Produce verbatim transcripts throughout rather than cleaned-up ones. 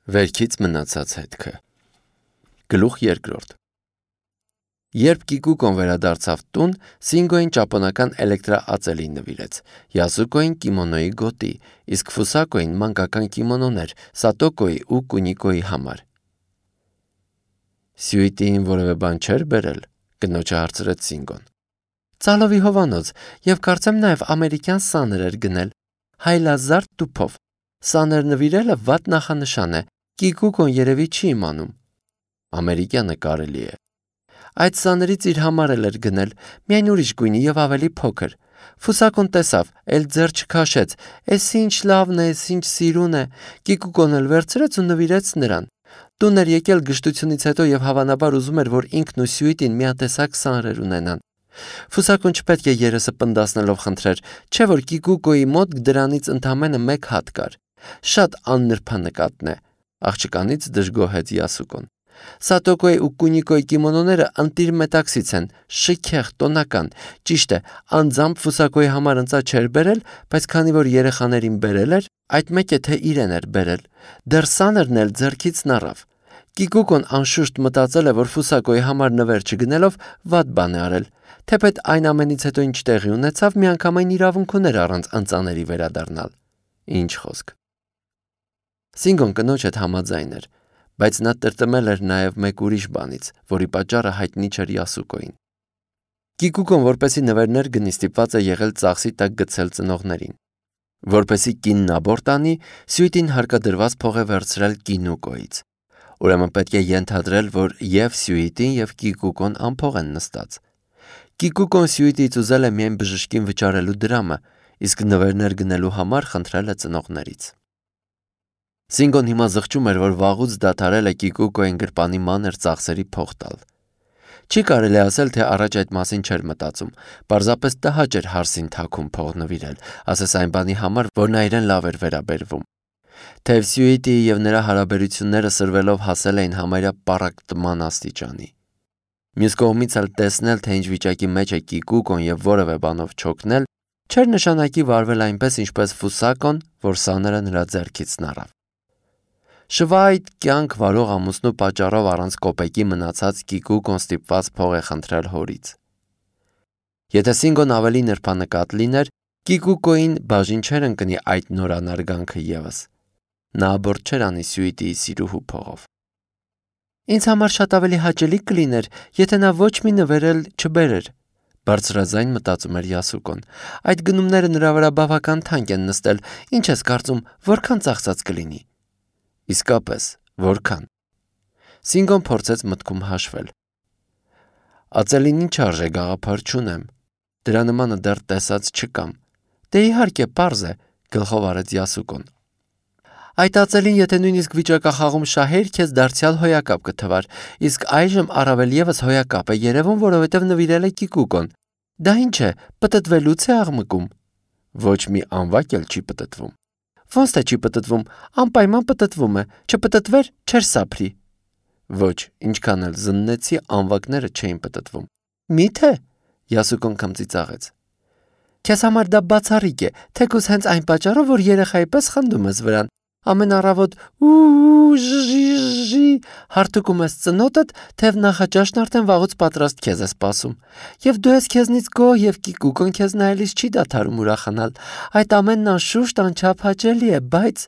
Վերքից մնացած հետքը։ Գլուխ երկրորդ։ Երբ Կիկուկոն վերադարձավ տուն, Սինգոյին ճապոնական էլեկտրաածելի նվիրեց, Յասուկոյին կիմոնոյի գոտի, իսկ Ֆուսակոյին մանկական կիմոնոներ Սատոկոյի ու Կունիկոյի համար։ Սյուիտին որևէ բան չէր բերել, կնոջը հարցրեց Սինգոն։ Ծալովի հովանոց, եւ կարծեմ նաեւ ամերիկյան սաներ էր գնել, հայլազարդ տուփով։ Սաներ նվիրելը վատ նախանշան է, Կիկուկոն երևի չի իմանում։ Ամերիկյանը կարելի է։ Այդ սաներից իր համար էլ էր գնել, միայն ուրիշ գույնի եւ ավելի փոքր։ Ֆուսակոն տեսավ, էլ ձեռ չքաշեց, էս ինչ լավն է, էս ինչ սիրուն է, Կիկուկոն էլ վերցրեց ու նվիրեց նրան։ Տուն էր եկել գժտությունից հետո եւ հավանաբար ուզում էր, որ ինքն ու Սյուիտին միատեսակ սանրեր ունենան։ Ֆուսակոն չպետք է երեսը պնդասնելով խնդրեր, չէ որ Կիկուկոյի մոտ դրանից ընդամենը մեկ հատ կար։ Շատ աննրբանկատն է, աղջկանից դժգոհեց Յասուկոն։ Սատոկոյի ու Կունիկոյի կիմոնոները ընտիր մետաքսից են, շքեղ, տոնական։ Ճիշտ է, անձամբ Ֆուսակոյի համար ընծա չէր բերել, բայց քանի որ երեխաներին բերել էր, այդ մեկ է թե իրեն էր բերել։ Դեռ սաներն էլ ձեռքից նռավ։ Կիկուկոն անշուշտ մտածել է, որ Ֆուսակոյի համար նվեր չգնելով վատ բան է արել։ Թեպետ այն ամենից հետո ինչ տեղի ունեցավ, միանգամայն իրավունք ուներ առանց ընծաների վերադառնալ։ Ինչ խոսք։ Սինգոն կնոջ հետ համաձայն էր, բայց նա տրտմել էր նաև մեկ ուրիշ բանից, որի պատճառը հայտնի չէր Յասուկոյին։ Կիկուկոն որպեսի նվերներ գնի ստիպված է եղել ծախսի տակ գցել ծնողներին։ Որպեսի կինն աբորտ անի, Սյուիտին հարկադրված փող է վերցրել Կինուկոյից։ Ուրեմն պետք է ենթադրել, որ եւ Սյուիտին եւ Կիկուկոն անփող են նստած։ Կիկուկոն Սյուիտից ուզել է միայն բժշկին վճարելու դրամը, իսկ նվերներ գնելու համար խնդրել է ծնողներից։ Սինգոն հիմա զղջում էր, որ վաղուց դադարել է Կիկուկոյին գրպանի մանր ծախսերի փող տալ։ Չի կարելի ասել, թե առաջ այդ մասին չէր մտածում, պարզապես տհաճ էր հարսին թաքուն փող նվիրել, ասես այն բանի համար, որ նա իրեն լավ էր վերաբերվում։ Թեև Սյուիտիի եւ նրա հարաբերությունները սրվելով հասել էին համարյա պառակտման աստիճանի։ Մյուս կողմից էլ տեսնել, թե ինչ վիճակի մեջ է Կիկուկոն եւ որևէ բանով չօգնել, չէր նշանակի վարվել այնպես, ինչպես Ֆուսակոն, որ սաները նրա ձեռքից նռավ։ Շվայտ կյանք վարող ամուսնու պատճառով առանց կոպեկի մնացած Կիկուկոն ստիպված փող է խնդրել հորից։ Եթե Սինգոն ավելի նրբանկատ լիներ, Կիկուկոին բաժին չէր ընկնի այդ նորանարգանքը եւս։ Նա աբորտ չէր անի Սյուիտիի սիրուհու փողով։ Ինձ համար շատ ավելի հաճելի կլիներ, եթե նա ոչ մի նվեր էլ չբերեր, բարձրաձայն մտածում էր Յասուկոն։ Այդ գնումները նրա վրա բավական թանկ են նստել, ինչ ես կարծում, որքան ծախսած կլինի։ Իսկապես, որքան։ Սինգոն փորձեց մտքում հաշվել։ Ածելին ինչ արժե գաղափար չունեմ։ Դրա նմանը դեռ տեսած չկամ։ Դե իհարկե, պարզ է, գլխով արեց Յասուկոն։ Այդ ածելին, եթե նույնիսկ վիճակախաղում շահեր, քեզ դարձյալ հոյակապ կթվար, իսկ այժմ առավել եւս հոյակապ է երևում, որովհետեւ նվիրել է Կիկուկոն։ Դա ինչ է, պտտվելուց է աղմկում։ Ոչ մի անվակ էլ չի պտտվում։ Ոնց թե չի պտտվում, անպայման պտտվում է, չպտտվեր, չէր սափրի։ Ոչ, ինչքան էլ զննեցի, անվակները չէին պտտվում։ Մի՞թե, Յասուկոն քմծիծաղեց։ Քեզ համար դա բացառիկ է, թեկուզ հենց այն պատճառով, որ երեխայի պես խնդում ես վրան։ Ամեն առավոտ ու ժի հարթուկում ես ծնոտդ, թեև նախաճաշն արդեն վաղուց պատրաստ քեզ է սպասում։ Եվ դու ես քեզնից գոհ եւ Կիկուկոն քեզ նայելիս չի դադարում ուրախանալ։ Այդ ամենն անշուշտ անչափ հաճելի է, բայց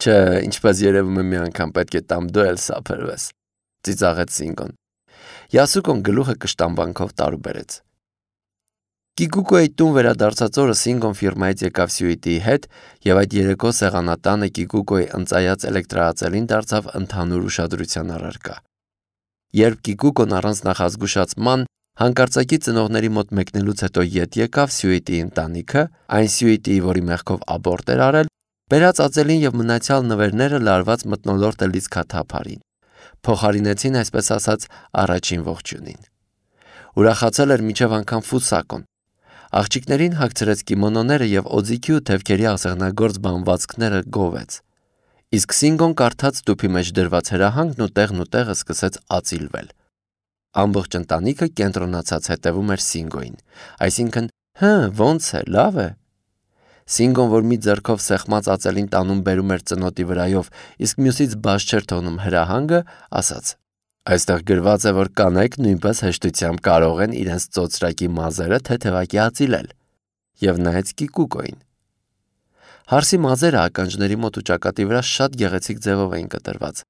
չէ, ինչպես երևում է մի անգամ պետք է տամ դու էլ սափրվես, ծիծաղեց Սինգոն։ Յասուկոն գլուխը կշտամբանքով տարուբերեց։ Կիկուկոյի տուն վերադարձած օրը Սինգոն ֆիրմայից եկավ Սյուիտիի հետ եւ այդ երեկո սեղանատանը Կիկուկոյի ընծայած էլեկտրաածելին դարձավ ընդհանուր ուշադրության առարկա։ Երբ Կիկուկոն առանց նախազգուշացման հանկարծակի ծնողների մոտ մեկնելուց հետո ետ եկավ Սյուիտիի ընտանիքը, այն Սյուիտիի, որի մեղքով աբորտ էր արել, բերած ածելին եւ մնացյալ նվերները լարված մթնոլորտը լիցքաթափարին։ Փոխարինեցին, այսպես ասած, առաջին ողջունին։ Ուրախացել էր միջև անգամ Ֆուսակոն։ Աղջիկներին հագցրեց կիմոնոները եւ օձիքի ու թևքերի ասեղնագործ բանվածքները գովեց։ Իսկ Սինգոն կարդաց տուփի մեջ դրված հրահանգն ու տեղն ու տեղը սկսեց ածիլվել։ Ամբողջ ընտանիքը կենտրոնացած հետևում էր Սինգոյին, այսինքն, հը, ոնց է, լավ է։ Սինգոն, որ մի ձեռքով սեղմած ածելին տանում բերում էր ծնոտի վրայով, իսկ մյուսից բաց չէր թողնում հրահանգը, ասաց. «Այստեղ գրված է, որ կանայք նույնպես հեշտությամբ կարող են իրենց ծոծրակի մազերը թեթևակի ածիլել», եւ նայեց Կիկուկոին։ Հարսի մազերը ականջների մոտ ու ճակատի վրա շատ գեղեցիկ ձևով էին կտրված։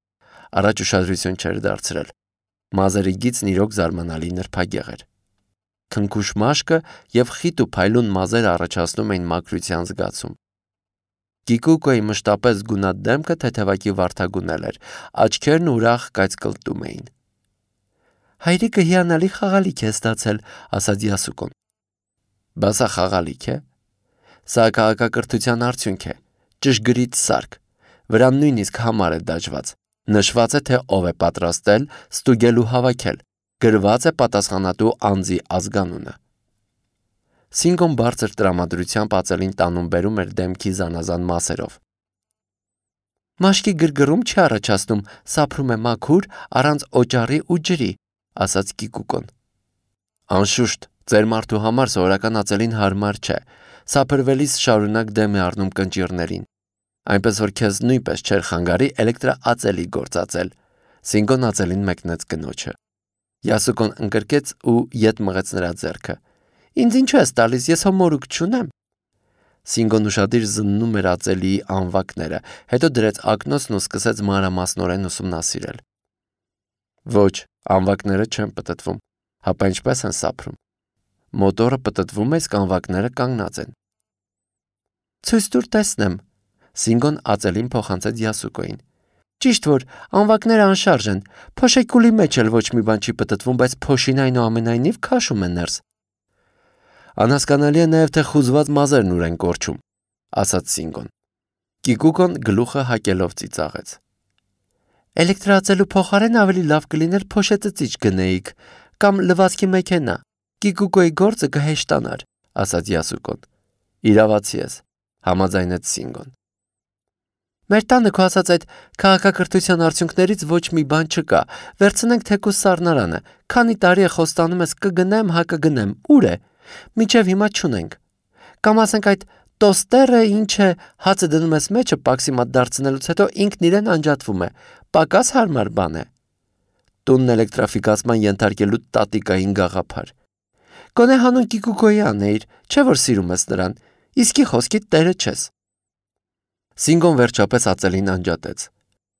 Առաջ ուշադրություն չէր դարձրել։ Մազերի գիծն իրոք զարմանալի նրբագեղ էր։ Քնքուշ մաշկը եւ խիտ ու փայլուն մազերը առաջացնում էին մաքրության զգացում։ Կիկուկոյի մշտապես գունատ դեմքը թեթևակի վարդագունել էր, աչքերն ուրախ կայծկլտում էին։ «Հայրիկը հիանալի խաղալիք է ստացել», ասաց Յասուկոն։ «Բա սա խաղալիք է։ Սա քաղաքակրթության արդյունք է, ճշգրիտ սարք, վրան նույնիսկ համար է դաջված, նշված է, թե ով է պատրաստել, ստուգել ու հավաքել, գրված է պատասխանատու անձի ազգանունը»։ Սինգոն բարձր տրամադրությամբ ածելին տանում բերում էր դեմքի զանազան մասերով։ «Մաշկի գրգռում չի առաջացնում, սափրում է մաքուր, առանց օճառի ու ջրի», ասաց Կիկուկոն։ «Անշուշտ, ձեր մարդու համար սովորական ածելին հարմար չէ, սափրվելիս շարունակ դեմ է առնում կնճիռներին, այնպես որ քեզ նույնպես չէր խանգարի էլեկտրաածելի գործածել», Սինգոն ածելին մեկնեց կնոջը։ Յասուկոն ընկրկեց ու ետ մղեց նրա ձեռքը։ «Ինձ ինչու ես տալիս, ես հո մորուք չունեմ»։ Սինգոն ուշադիր զննում էր ածելիի անվակները, հետո դրեց ակնոցն ու սկսեց մանրամասնորեն ուսումնասիրել։ «Ոչ, անվակները չեն պտտվում, հապա ինչպես են սափրում։ Մոտորը պտտվում է, իսկ անվակները կանգնած են»։ «Ցույց տուր տեսնեմ», Սինգոն ածելին փոխանցեց Յասուկոին։ «Ճիշտ որ անվակները անշարժ են, փոշեկուլի մեջ էլ ոչ մի բան չի պտտվում, բայց փոշին այնուամենայնիվ քաշում է ներս»։ «Անհասկանալի է նաև, թե խուզված մազերն ուր են կորչում», ասաց Սինգոն։ Կիկուկոն գլուխը հակելով ծիծաղեց։ «Էլեկտրաածելու փոխարեն ավելի լավ կլիներ փոշեցծիչ գնեիք, կամ լվացքի մեքենա, Կիկուկոյի գործը կհեշտանար», ասաց Յասուկոն։ «Իրավացի ես», համաձայնեց Սինգոն։ «Մեր տանը քո ասած այդ քաղաքակրթության արդյունքներից ոչ մի բան չկա, վերցնենք թեկուզ սառնարանը, քանի տարի է խոստանում ես կգնեմ, հա կգնեմ, ուր է, մինչև հիմա չունենք, կամ ասենք այդ տոստերը, ինչ է, հացը դնում ես մեջը պաքսի մատ դարձնելուց հետո ինքն իրեն անջատվում է, պակաս հարմար բան է, տունն էլեկտրաֆիկացման ենթարկելու տատիկային գաղափար, գոնե հանուն Կիկուկոյի անեիր, չէ որ սիրում ես նրան, իսկի խոսքիդ տերը չես»։ Սինգոն վերջապես ածելին անջատեց։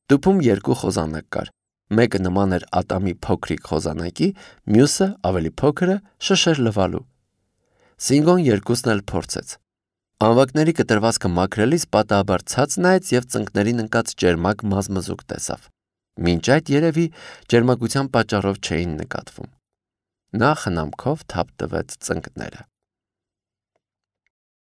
Տուփում երկու խոզանակ կար, մեկը նման էր ատամի փոքրիկ խոզանակի, մյուսը ավելի փոքրը շշեր լվալու։ Սինգոն երկուսն էլ փորձեց։ Անվակների կտրվածքը մաքրելիս պատահաբար ցած նայեց եւ ծնկներին ընկած ճերմակ մազմզուկ տեսավ։ Մինչ այդ երևի ճերմակության պատճառով չէին նկատվում։ Նա խնամքով թափ տվեց ծնկները։